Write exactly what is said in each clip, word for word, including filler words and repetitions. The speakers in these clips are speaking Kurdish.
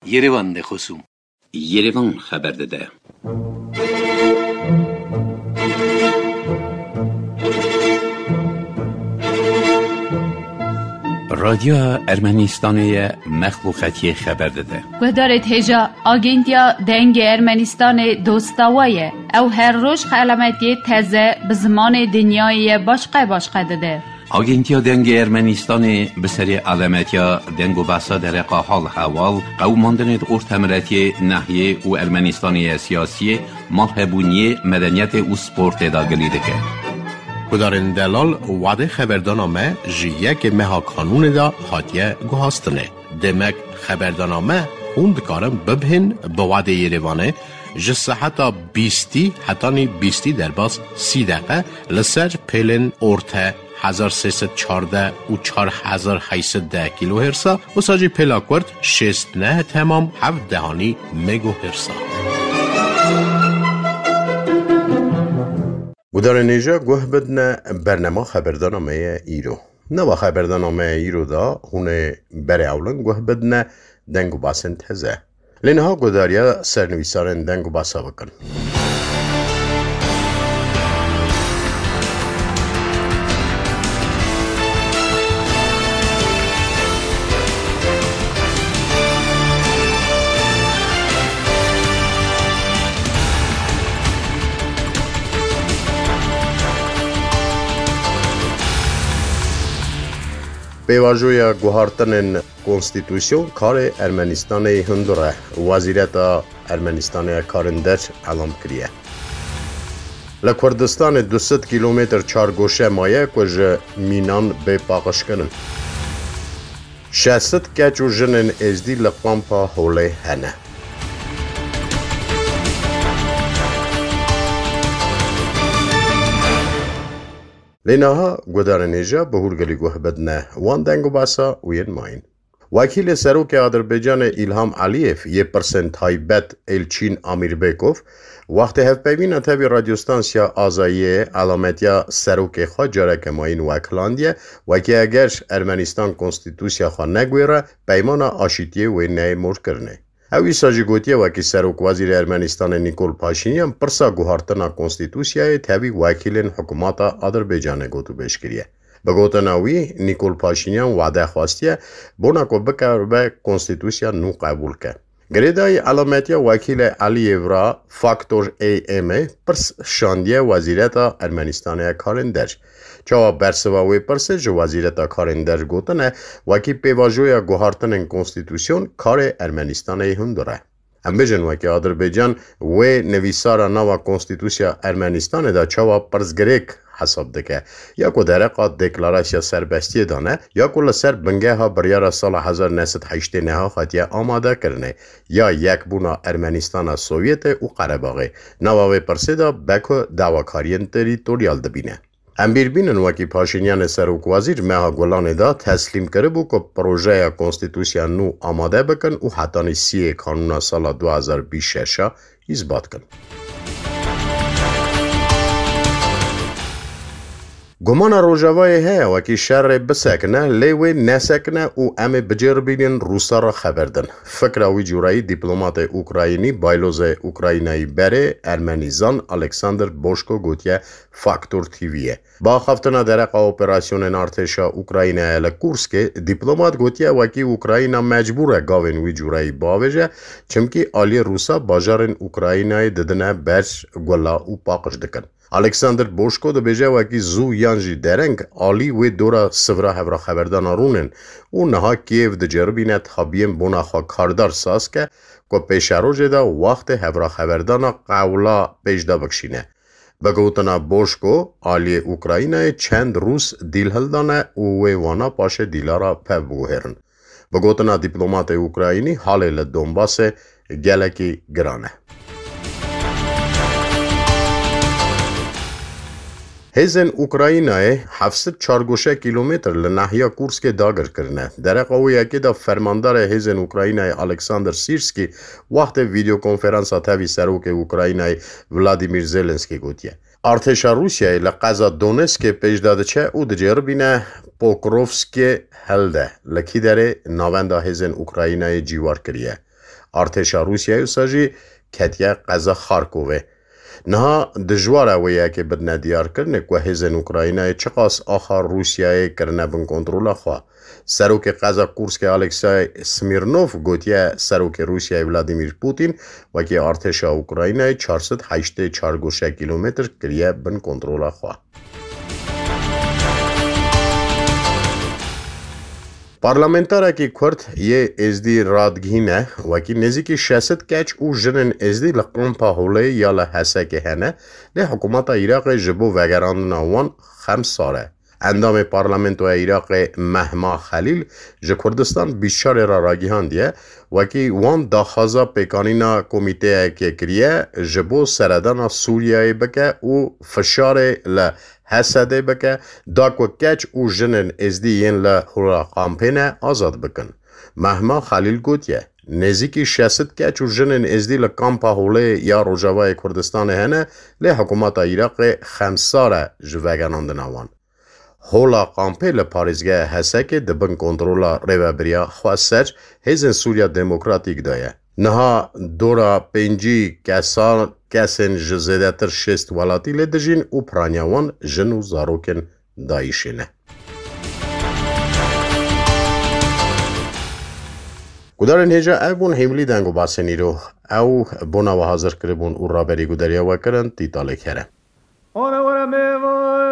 Yerevan de xosûm. Yerevan xeber dide. Radyoya Ermenistanê ye, mexluqetiyê xeber dide. Guhdarê hêja Agentiya Dengê Ermenistanê dosta we ye. Ew her roj xelametiyê teze bi zimanê dinyayê ye başqe başqe dide. Agentiya Dengê Ermenistanê bi serê alemetiya deng û behsa dereqa hal heval, qewimandinê di ortemiretiyê, nehiyê û Ermenistanê ye siyasiyê, malhebûniyê, medeniyetê û sportê de gilî dike. Gudarên delal, wadê xeberdana me ji yekê meha kanûnê de hatiye guhastinê. Demek xeberdana me hûn dikarin bibihên bi wadê Yerevanê ji seheta bîstî hetanî bîstî derbas sî deqe li ser pêlên orte hezar sê sed çardeh û çar hezar heyt sed deh kîlohêrsa, wisa jî pêla kurt şêst neh temam heft dehanî megohêrsa. Gudarên hêja guh bidine bernema xeberdana me ye îro. Nava xeberdana me îro de hûn ê berê ewlin guh bidine deng û basên teze. Lê niha guhdariya sernivîsarên deng û basa bikin. Pêvajoya guhartinên konstîtusyon karê Ermenistanê hundir e, Wezîreta Ermenistanê ya Karên Der elam kiriye. Li Kurdistanê du sed kîlometr çargoşe maye ku ji mînan bê paqijkirin. Şeş sed keç û jinên êzdî li kampa Holê hene. Lê niha guhdarên hêja bi hûrgilî guh bidine wan deng û basa û yên mayîn. Wekîlê Serokê Adirbaycanê Îlham Eliyev yê pirsên taybet Elçîn Amîrbekov, wextê hevpeyvîna tevî Radyo Stansiya Azayiyê elametiya serokê xwe careke mayîn wekilandiye, wekî eger Ermenistan konstîtusya xwe negwêre, peymana aşîtiyê wê neyê morkirinê. Ew îsa jî gotiye, wekî Serokwezîrê Ermenistanê Nîkol Paşînyan pirsa guhartina konstîtusyayê tevî wekîlên hikûmeta Adirbaycanê gotûbêj kiriye. Bi gotina wî, Nîkol Paşînyan wade xwestiye bona ku bikaribe konstîtusya nû qebûl ke. Girêdayî elametiya wekîlê Eliyev ra Faktor A M ê pirs şandiye Wezîreta Ermenistanê ya Karên Der. Çawa bersiva wê pirsê ji Wezîreta Karên Der gotine, wekî pêvajoya guhartinên konstîtusyon karê Ermenistanê hundir e. Em bêjin wekî Adirbaycan wê nivîsara nava konstîtusya Ermenistanê de çawa pirsgirêk hesab dike, ya ku dereqa deklarasya serbestiyê dane, ya ku li ser bingeha biryara sala hezar neh sed heştê neha hatiye amade kirinê, ya yekbûna Ermenistana Sovyetê û Qerebaxê. Nava vê pirsê de Beko dawakariyên terîtoryal dibîne. Em bîr bînin wekî Paşînyanê Serokwezîr meha Gulanê de teslîm kiribû ku projeya konstîtusya nû amade bikin û hetanî siyê kanûna sala du hezar bîst şeş a îsbat kin. Gumana Rojavayê heye wekî şerê bisekine, lê wê nesekine û em ê biceribînin Rûsa re xeber din. Fikra wî curayî dîplomatê Ukraynî, baylozê Ukraynayî berê Ermenîzan Alexander Boşko gotiye Faktor T V'yê. Bi axaftina dereqa operasyonên artêşa Ukraynayê li Kurskê, dîplomat gotiye wekî Ukrayna mecbûr e gavên wî curayî bavêje, çimkî aliyê Rûsa bajarên Ukraynayê didine ber gula û paqij dikin. Alexander Boşko dibêje, wekî zû yan jî dereng alî wê dora sivra hevraxeberdana rûnin û niha Kiev diceribîne tabiyên bona xwe kardar saz ke ku pêşerojê de wextê hevraxeberdana qewla pêş de bikişîne. Bi gotina Boşko, aliyê Ukraynayê çend Rûs dîl hildane û wê wana paşê dîlara pev biguhêrin. Bi gotina dîplomatê Ukraynî, halê li Donbasê gelekî giran e. Hêzên Ukraynayê heft sed çargoşe kîlometr li nahiya Kurskê dagir kirine. Dereqa wê yekê de fermandarê hêzên Ukraynayê Alexander Sîrskî wextê vîdeokonferansa tevî serokê Ukraynayê Vladimir Zelenskî gotiye. Artêşa Rûsyayê li qeza Donetskê pêş de diçe û diceribîne Pokrovskê hilde, li kî derê navenda hêzên Ukraynayê cîwar kiriye. Artêşa Rûsyayê wisa jî ketiye qeza Xarkovê. Niha dijwar e wê yekê bidine diyarkirinê ku hêzên Ukraynayê çiqas axa Rûsyayê kirine bin kontrola xwe. Serokê qeza Kurskê Alexey Smirnov gotiye, Serokê Rûsyayê Vladimir Putin wekî artêşa Ukraynayê çar sed heştê çar goşe kîlometr kiriye bin kontrola xwe. Parlamentarekî Kurd yê Êzdî radigihîne, wekî nêzîkî şeş sed keç û jinên Êzdî li kampa Holê ya li Hesekê hene, lê hikûmeta Iraqê ji bo vegerandina wan xemsar e. Endamê Parlamentoya Iraqê Mehma Xelîl ji Kurdistan bîst çarê re ragihandiye, wekî wan daxwaza pêkanîna komîteyekê kiriye, ji bo seredana Sûriyeyê bike û fişarê li Hesedê bike, da ku keç û jinên Êzdî yên li Hûra Kampê ne azad bikin. Mehma Xelîl gotiye, nêzîkî şeş sed keç û jinên Êzdî li kampa Holê ya Rojavayê Kurdistanê hene, lê hikûmeta Iraqê xemsar e ji vegerandina wan. Hola Kampê li parêzgeha Hesekê di bin kontrola rêvebiriya Xweser Hêzên Sûriya Demokratîk de ye. Niha dora pêncî kesan, kesên ji zêdetir şêst welatî lê dijîn û piraniya wan jin û zarokên DAIŞê ne. Gudarên hêja, ev bûn hîmilî deng û basên îro. Ew bona we hazir kiribûn û raberî gudariya we kirin, Tîtalê Kerem. Ora, ora, me va,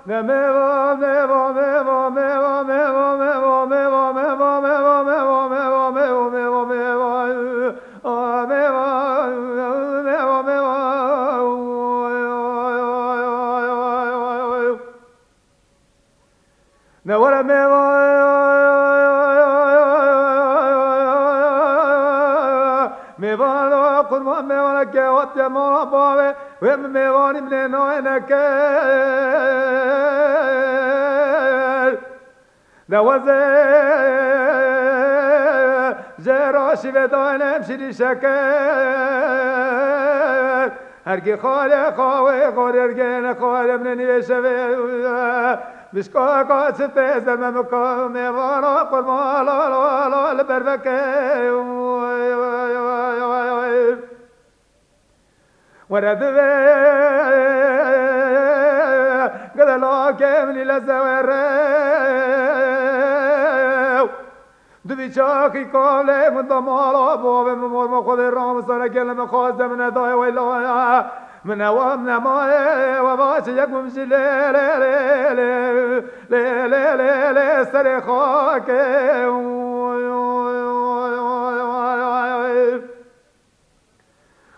ne me va, me va, me va. Ne were mêvan, mêvan o qurban, mêvana ke hatiye mala bavê, wê min mêvanî min ê nayê nekir. De weze jê raşî vê daynem şirî şeker. Herkî xalê xawê xorê ergene xalê min ê nîvê şevê. Bişka ka çi tê zeme min ka mêvana qurban la la la li ber veke. Were divê gede lakê min î leze were. Divî çaxî kalê min da mala bavê min, mor min Xwedê ramin sere gelê min xwaze min nedaye weylaya. Min ewa min emaye we vaçe yek min jî lê lê lê lê lê lê lê lê serê xakê.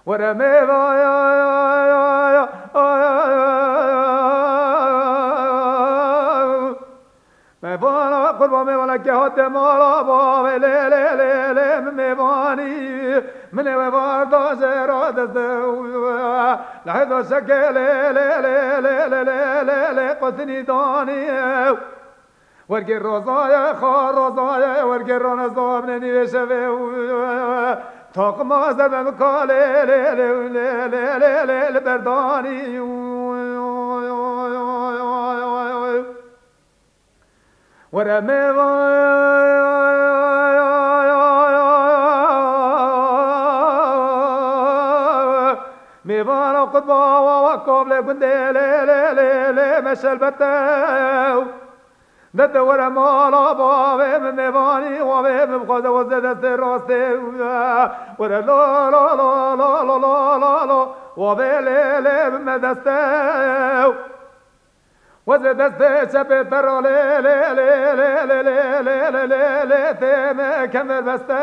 Were mêvaya, mêvana qurban, mêvana ke hate mala bavê lê lê lê lê min mêvanî, min ê we varda jê ra dest de. Lehê da şeke lê lê lê lê lê lê lê lê lê qutinî danî. Wergê rozaye, xar rozaye, wergê rane zabne nîvê şevê. Taqima zerbe min ka lê, lê, lê, lê, lê, lê, lê, li berdanî. Were mêva. Mêvana qurba wa, wa kavlê gundê lê, lê, lê, lê, me şelbete. De te were mala bavê min mêvanî, wavê min bixwaze weze destê rastê. Were lo, lo, lo, wavê lê, lê, min me deste. Weze destê çepê te ra lê, lê, lê, tê me kemer beste.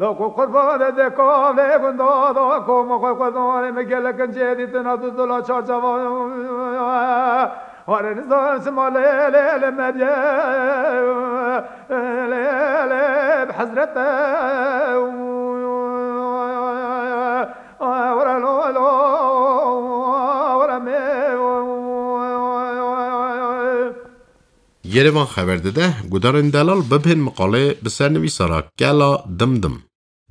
Loko qurbanê de kavlê gunda da koma xwe xwezanê me gelek incê dîtina duzula çarçava. Ware nizan sima lê lê lê mediye lê lê bi hezrete. Ware lo lo ware me. Yerevan xeber dide, gudarên delal bibên miqalê bi sernivîsara Kela Dimdim.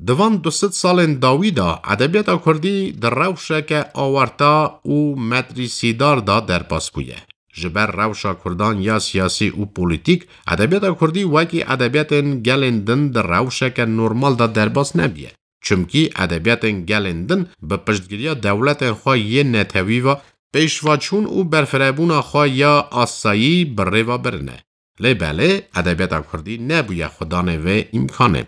Di van du sed salên dawî de edebiyata kurdî di rewşeke awerta û metrîsîdar de derbas bûye. Ji ber rewşa Kurdan ya siyasî û polîtîk, edebiyata Kurdî wekî edebiyatên gelên din di rewşeke normal de derbas nebiye. Çimkî edebiyatên gelên din bi piştgiriya dewletên xwe yên netewî ve pêşveçûn û berfirebûna xwe ya asayî bi rê ve birine. Lê belê, edebiyata Kurdî nebûye xwedanê vê îmkanê.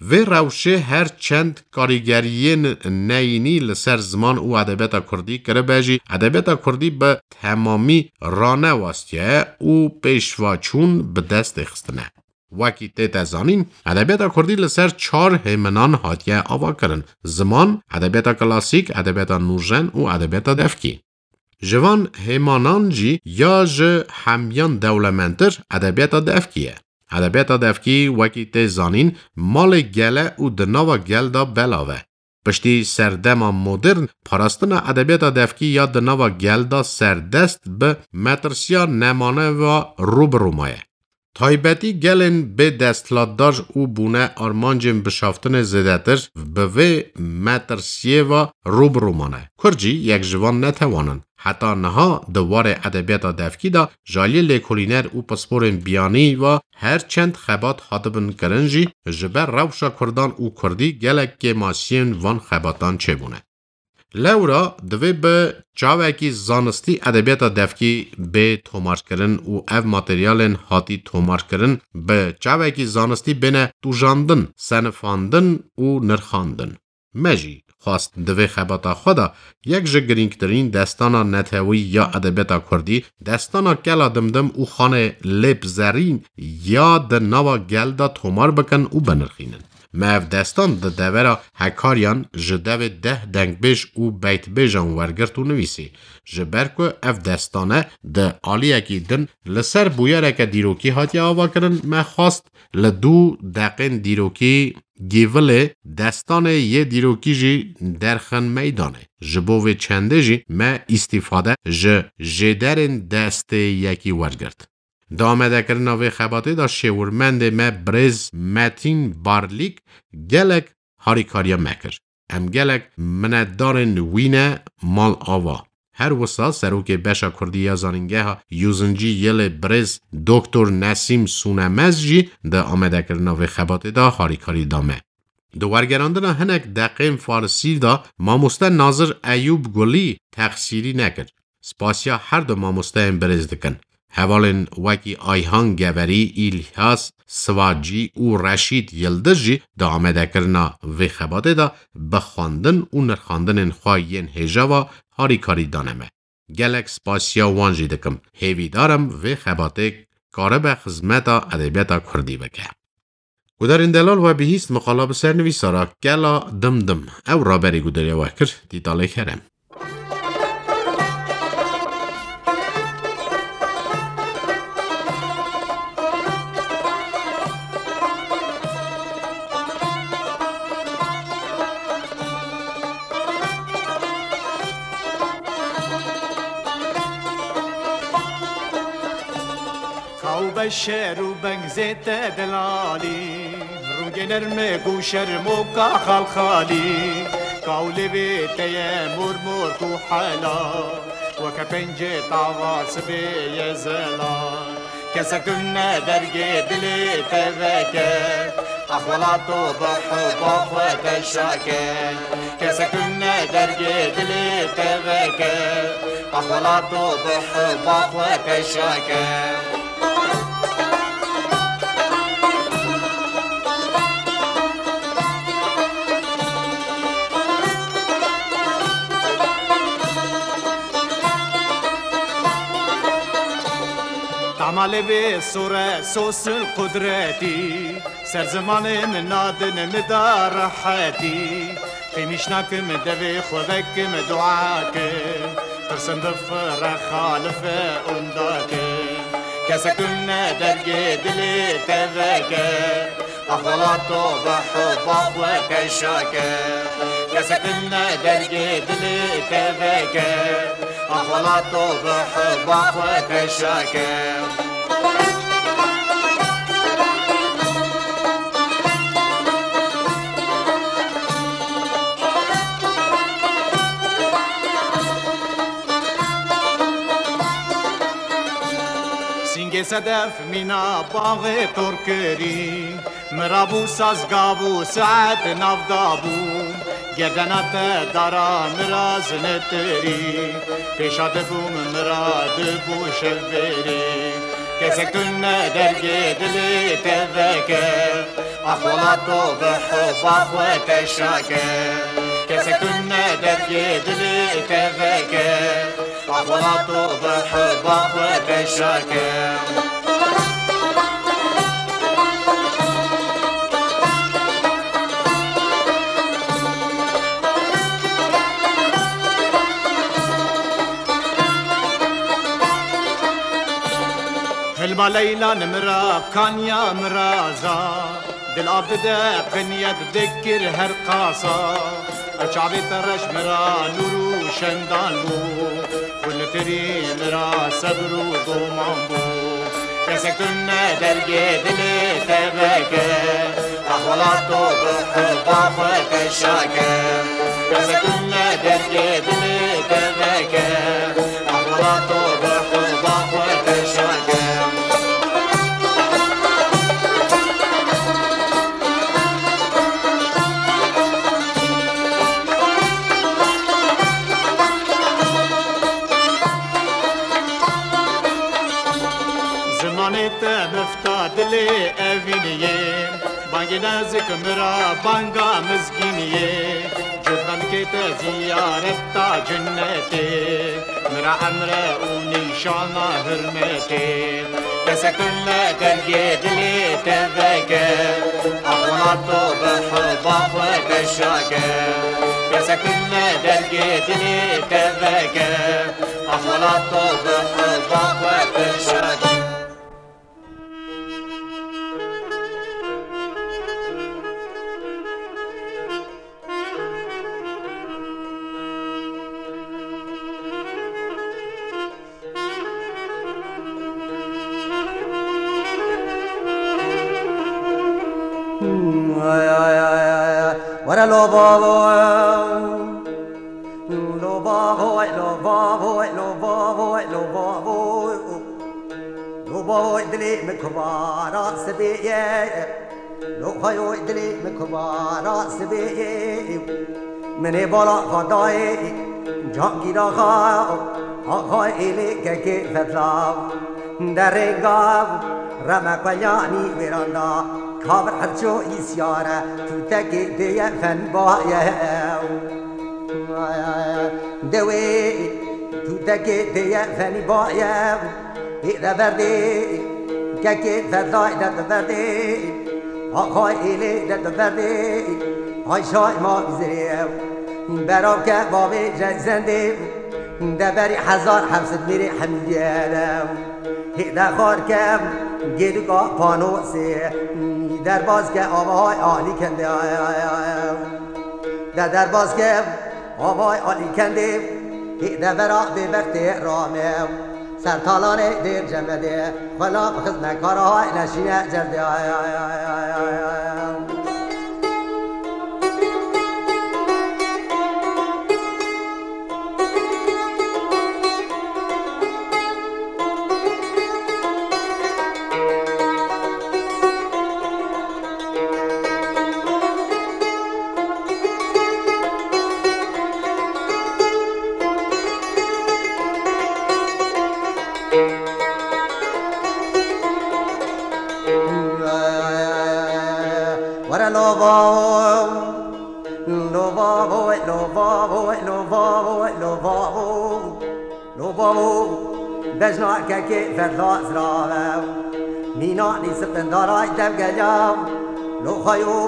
Vê rewşê her çend karîgeriyên neyînî li ser ziman û edebiyata Kurdî kiribe jî, edebiyata Kurdî bi temamî ranewastiye û pêşveçûn bi destê xistine. Wekî tête zanîn, edebiyata Kurdî li ser çar hêminan hatiye avakirin: ziman, edebiyata klasîk, edebiyata nûjen û edebiyata devkî. Ji van hêmanan jî ya ji hemiyan dewlemendtir edebiyata devkî ye. Edebiyata devkî, wekî tê zanîn, malê gel e û di nava gel de belav e. Piştî serdema modern, parastina edebiyata devkî ya di nava gel de serdest bi metirsiya nemane ve rû bi rû maye. Taybetî gelên bê desthilatdar û bûne armancên bişaftinê zêdetir bi vê metirsiyê ve rû bi rû mane. Kurd jî yek ji van netewan in. Heta niha di warê edebiyata devkî de ji aliyê lêkolîner û pisporên biyanî ve her çend xebat hatibin kirin jî, ji ber rewşa Kurdan û Kurdî gelek kêmasiyên van xebatan çêbûne. Lewra divê bi çavekî zanistî edebiyata devkî bê tomarkirin û ev materyalên hatî tomarkirin bi çavekî zanistî bêne tûjandin, senifandin û nirxandin. Me jî xwest di vê xebata xwe de yek ji girîngtirîn destana netewî ya edebiyata Kurdî, destana Kela Dimdim û Xanê Lêp Zerîn ya di nava gel de tomar bikin û binirxînin. Me ev destan di devera Hekariyan ji devê deh dengbêj û beytbêjan wergirt û nivîsî. Ji ber ku ev destane di aliyekî din li ser bûyereke dîrokî hatiye avakirin, me xwest li du deqên dîrokî gîvilê destanê yê dîrokî jî derxin meydanê. Ji bo vê çendê jî me îstîfade ji jêderên destê yekî wergirt. Di amadekirina vê xebatê de şêwirmendê me birêz Metîn Barlîk gelek harîkariya me kir. Em gelek minetdarên wî ne, mal ava. Her wisa serokê beşa kurdî ya Zanîngeha Yûzincî Yilê birêz Doktor Nesîm Sûnemez jî di amadekirina vê xebatê de harîkarî da me. Di wergerandina hinek deqên farisî de mamoste Nazir Eyûb Gulî texsîrî nekir. Spasiya her du mamosteyên birêz dikin. Hevalên wekî Ayhan Geverî, Îlyas Sivacî û Reşîd Yildiz jî di amadekirina vê xebatê de bi xwendin û nirxandinên xwe yên hêja ve harîkarî dane me. Gelek spasiya wan jî dikim. Hêvîdar im vê xebatê karibe xizmeta edebiyata kurdî bike. Gudarên delal, we bihîst mixala bi sernivîsara Kela Dimdim. Ew raberî gudariya we kir, Dîtalê Kerem. Kaw beşer û bengzê te delalî, rûngê nerme ku şermoka xalxalî. Kaw lêvê te ye mor mor ku hela, weke pencê tava sibê ye zelal. Kesek tune dergê dilê te veke, ax welato bi heba xwe te şake. Kesek tune dergê dilê te veke, ax welato bi heba xwe te şake. Tama lê vê sore sosil qudretî, ser zimanê min nadin min da rehetî. Qîmîş nakim devê xwe vekim dua kim, tirsim bifire xalife ûnda kim. Kesek tune dergê dilê te veke, ax welato bi heba xwe te şake. Kesek tune dergê dilê te veke, ax welato bi heba xwe te şake. Sedef mîna baxê tor kirî, min rabû saz gav û saet nav dabû. Gerdena te dara min ra zinitirî, pêşa dibûm min ra dibû şevbêrî. Kesek tune dergê dilê te veke, ax welato bi hiba xwe teşa ke. Kesek tune dergê dilê te veke, ax welato bi hiba xwe teşa ke. Hilma Leyla nimira kanya miraza. Dil av dide qinyet dikir her qasa. Ev çavê te reş mira nûr û şendan bû. Hûn li tirî mira sebr û doman bû. Kesek tune dergê dilê te veke. Ax welato bi hiba xwe teşa ke. Kesek tune dergê dilê te veke. Ax welato bi hiba xwe teşa ke. Zimanê te mifta dilê evîniyê, bangê nezik mira banga mizgîniyê. Cotmemkê te ziyareta cinnetê, mira emre û nîşana hurmetê. Kesek tune dergê dilê te veke, ax welato bi hiba xwe teşa ke. Kesek tune dergê dilê te veke, ax welato bi hiba xwe teşa ke. Were lo bavo, lo bavo, lo bavo, lo bavo, lo bavo. Lo bavoy dilê min kubara sibê ye. Lo xayoy dilê min kubara sibê ye. Min ê bala xwe dayê cangîra xwe, axay êlê kekê fetla. Derê gav reme qeyanî wêranda. Kavir herço îsyare tûtekê dêye fenbaye. Dewê tûtekê dêye fenî baye, hê de verdê, kekê fedayê de di verdê, axay êlê de di verdê, ay şay ma bizirê. Beravke bavê Jeysendê, de berî hezar heft sed mêrê hemî diyere. Hê de xar ke gêdika panosê, derbas ke avay alî kendê. De derbas ke avay alî kendê, hê de vera bêbextê rame. Ser talanê dêr cemedê, xwela bi xizmekara hay neşîne cerdê. Were lo bavo, lo bavo, lo bavo, lo bavo, lo bavo. Lo bavo, bejna kekê fedla zirave. Mîna nî sipindaray dev geliya. Lo xayo,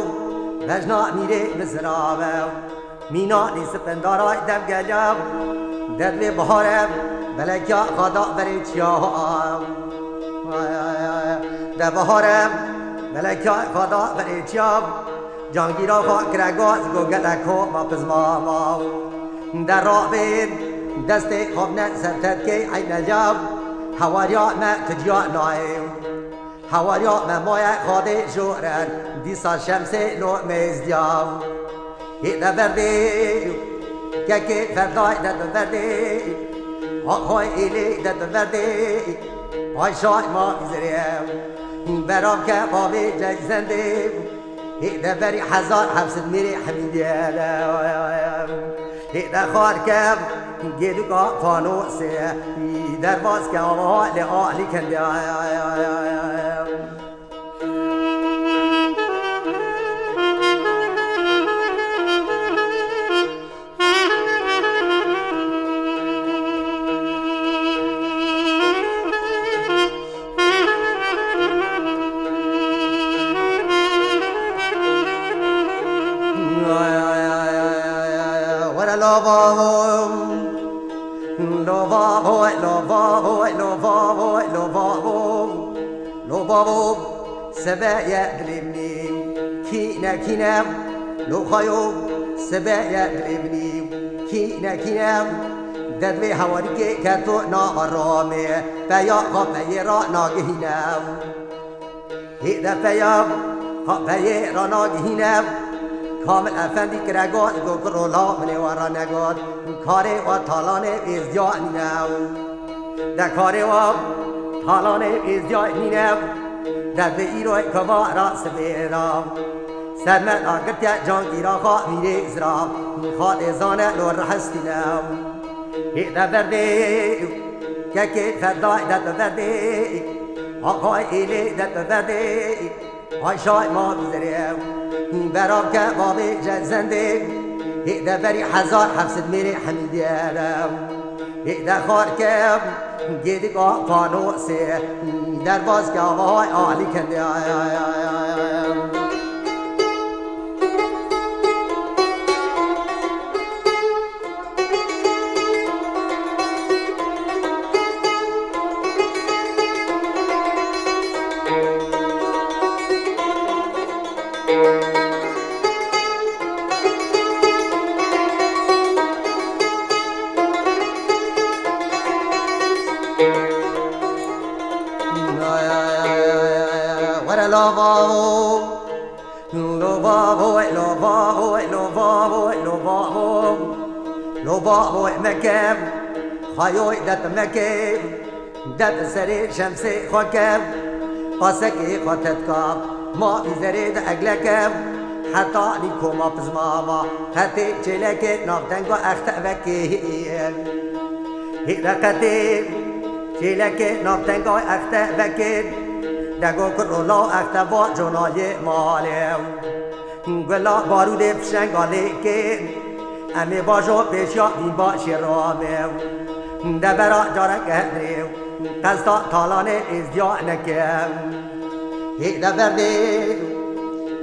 bejna mîrê min zirave. Mîna nî sipindaray dev geliya. Derdê bihare, belekya xada berê çiya. De bihare, belekya xada berê çiya. Cangîra xwe kire gaz, go gelek ho ma pizma ma. De rabê, destê xwe bine ser tetkê eyneya. Hewariya me tu ciya nayê. Hewariya me maye xadê joren, dîsa şemsê lo mêzdiya. Hê de verdê, kekê ferdayê de di verdê. Axay êlê de di verdê. Ay şay ma zerê, berav ke bavê cey zendê, hê de berî hezar heft sed mêrê hemîdê de, hê de xar ke gêdika fanosê, derbas ke ava lê alî kendê. Were lava, lava, lava, lava, lava, lava. Lo bavo, sebe ye dilê min î, kîne kîne, lo xayo, sebe ye dilê min î, kîne kîne, derdvê hewarîkê ke to nava ramê, peya xapeyê ra nagihîne. Hê de peya xapeyê ra nagihîne, Kamil Efendî kire got, go kuro la minê we ra negot, karê we talanê êzdiya nîne. De karê wa talanê êzdiya nîne, de di îroy kevara sibê ra. Sermet agirtiye cangîra xwa vîrê zira, xwa dê zane lo rehestîne. Hê de verdê, kekê fedayê de tu verdê, axay êlê de tu verdê. Ay şay ma bizerê, berav ke bavê cezendê, hê de berî hezar heft sed mêrê hemîdê de, hê de xar ke gêdika fanosê, derbas ke avay alî kendê. Were lava. Lo bavo, lo bavo, lo bavo, lo bavo. Lo bavo meke, xayoy det meke. Det serê şemsê xwe ke. Pasekê xwe tetka, ma vî zerê de egleke. Heta nîkoma pizmava, hetê çêlekê navdenga exte vekê. Hê reqetê, çêlekê navtenga exte vekê. Dego kuro law exte va conayê malê. Gula barûdê fişenga lêkê, em ê bajo pêşiya vîn başê ramê. Devera careke hedrê, qesta talanê êzdiya neke. Hê de berdê,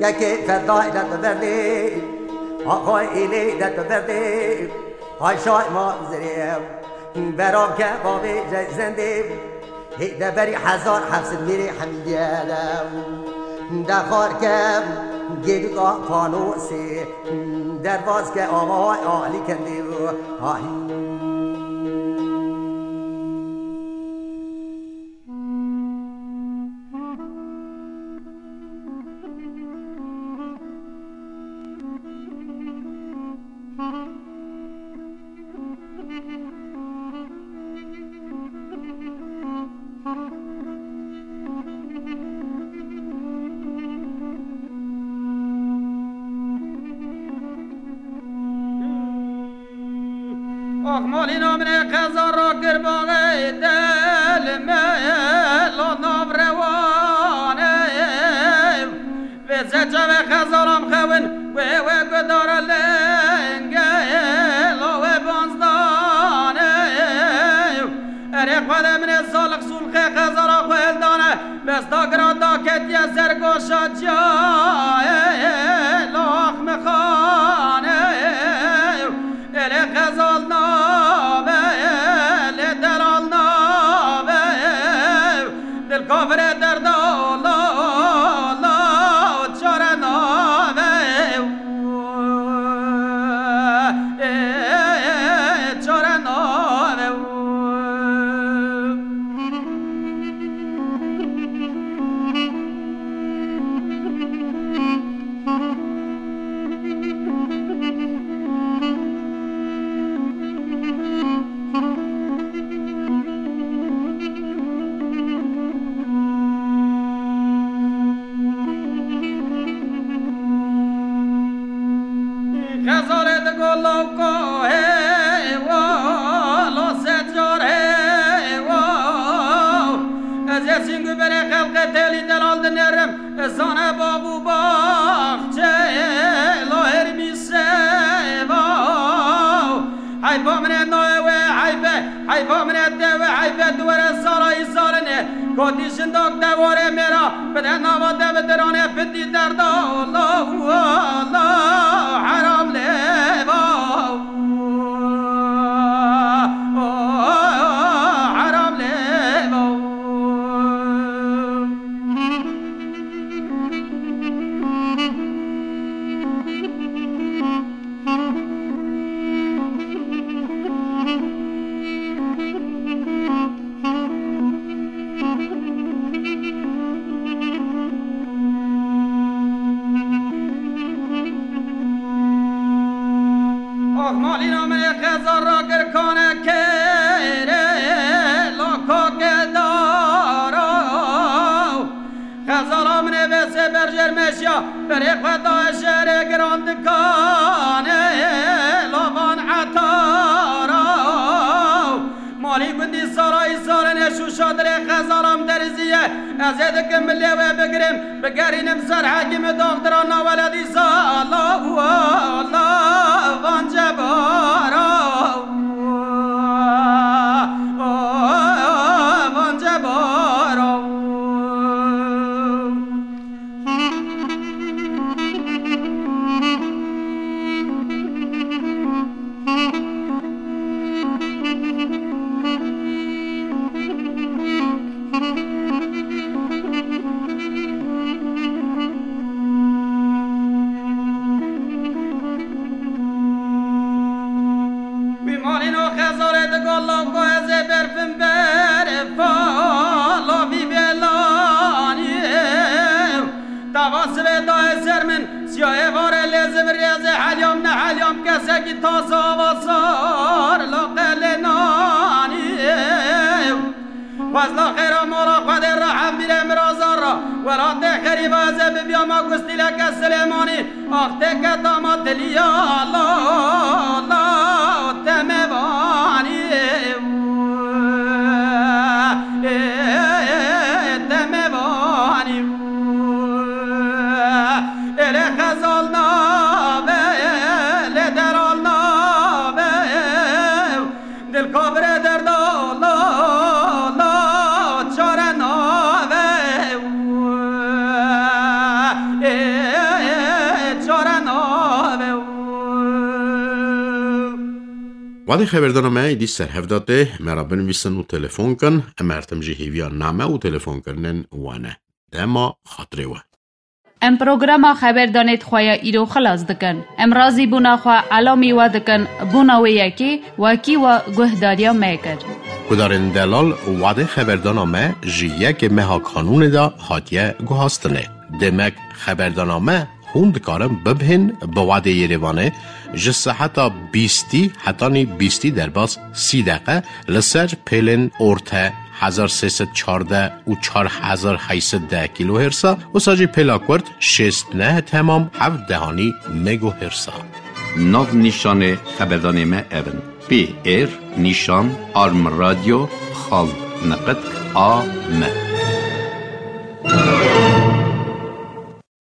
kekê fedayê de tu berdê, axay êlê de tu berdê, ay şay ma zirê. Berav ke bavê zendê, hê de berî hezar heft sed mêrê hemîdiye de. De xar ke gêdika fanosê, derbas ke avay alî kendê. Ay. Axmalîna min ê qeza rakir baxê del me lo nav rewanê. Vê se çavê qeza ram xewin wê wê gudara lenge lo wê banzdanê. Erê xwedê min ê salix sulxê qeza ra xwe hildane. Besta gira da ketiye ser goşa cayê lax mixanê. Êlê xezal nabe, êlê delal nabe, dil kafirê derda la, la, çare nabe. Ê, çare nabe. Ko hêwa, la secar hêwa. Ez ê sîngu berê xelqê têlî delal dinêrim. Zane bav û baxçe, la hermî seva. Heyfa min e nayê wê heyfe, heyfa min e tê wê heyfe, tu were zara îzarine. Gotî jindak de warê mêra, bide nava te bidirane, bidî derda, la, la, heram lêva. Heram lêva. Ox malîna min ê xezal ra girkane kêrê, la kakê dara. Xezala min ê vêsê berjêr meşiya, berê xwe daye şerê giran dikanê, la van etara. Malî gundî sarayî sarine şûşa dirê xezalam deriziye. Ez ê dikim milê wê bigirim, bigerînim ser hekîmi doxtira naweledî zala û ala van cebara. Van cebara. Wî malîno xezalê digo loko ez ê berfim ber fala vî belanî. Tava sibê dayê ser min, siyayê varê lê zivir ez ê heliyam ne heliyam kesekî taze ava sar laqelê nanî. Xwezla xêra mala xwedê ra hembîrê mirazan ra, welatê xerîba ez ê bibiyama gustîleke Silêmanî. Ax tê keta ma tiliya la, la, te me vanî, ê, te me vanî. Ê lê xezal nabe, lê deral nabe. Dil kavire derda la, la, çare nave. Ê, çare nave. Wadê xeberdana me êdî ser hev de tê, me re binivîsin û telefon kin. Em her tim jî hêviya name û telefonkirinên we ne. Dema xatirê we. Em programa xeberdanê xwe ya îro xilas dikin. Em razîbûna xwe elamî we dikin, bûna wê yekê wekî we guhdariya me kir. Guhdarên delal, wadê xeberdana me ji yekê meha Kanûnê de hatiye guhastinê. Demek xeberdana me hûn dikarin bibihên bi wadê Yerêvanê ji seheta bîstî hetanî bîstî derbas sî deqe li ser pêlên orte hezar sê sed çardeh û çar hezar heyt sed deh kîlohêrsa, wisa jî pêla kurt şêst neh temam heft dehanî megohêrsa. Nav nîşanê xeberdanê me ev in: P R nîşan arm radyo xal niqitk a m.